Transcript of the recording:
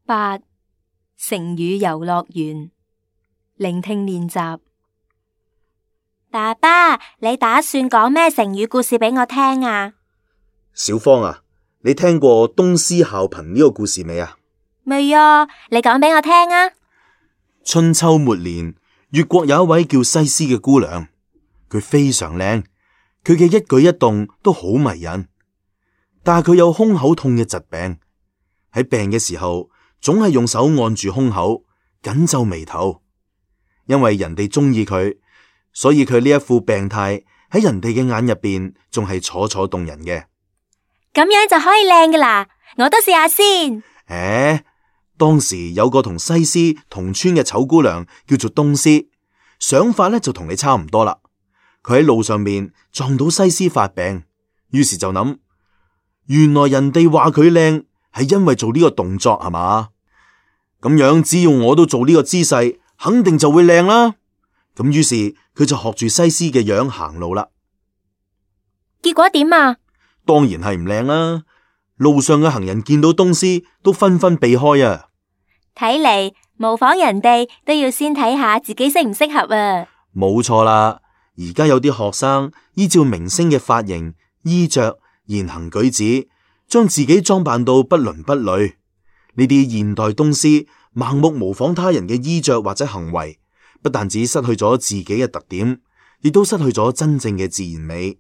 8. 成語遊樂園。聆聽練習。爸爸，你打算講咩成語故事俾我聽啊？小芳啊，你聽過東施效顰呢個故事未啊？未啊，你講俾我聽啊。春秋末年，越國有一位叫西施嘅姑娘，佢非常靚，佢嘅一舉一動都好迷人，但係佢有胸口痛嘅疾病，喺病嘅時候總係用手按住胸口，緊皺眉頭。因為人哋中意佢，所以佢呢一副病態喺人哋嘅眼入邊仲係楚楚動人嘅。咁樣就可以靚㗎啦，我都試下先。當時有個同西施同村嘅醜姑娘叫做東施，想法呢就同你差唔多啦。佢喺路上面撞到西施發病，於是就諗，原來人哋話佢靚係因為做呢個動作係嘛？咁樣只要我都做呢個姿勢，肯定就會靚啦。咁於是佢就學住西施嘅樣行路啦。結果點啊？當然係唔靚啦。路上嘅行人見到東施都紛紛避開啊。睇嚟模仿人哋都要先睇下自己適唔適合啊。冇錯啦，而家有啲學生依照明星嘅髮型、衣着、言行舉止，將自己裝扮到不倫不類。呢啲現代東施盲目模仿他人嘅衣着或者行為，不但止失去咗自己嘅特點，亦都失去咗真正嘅自然美。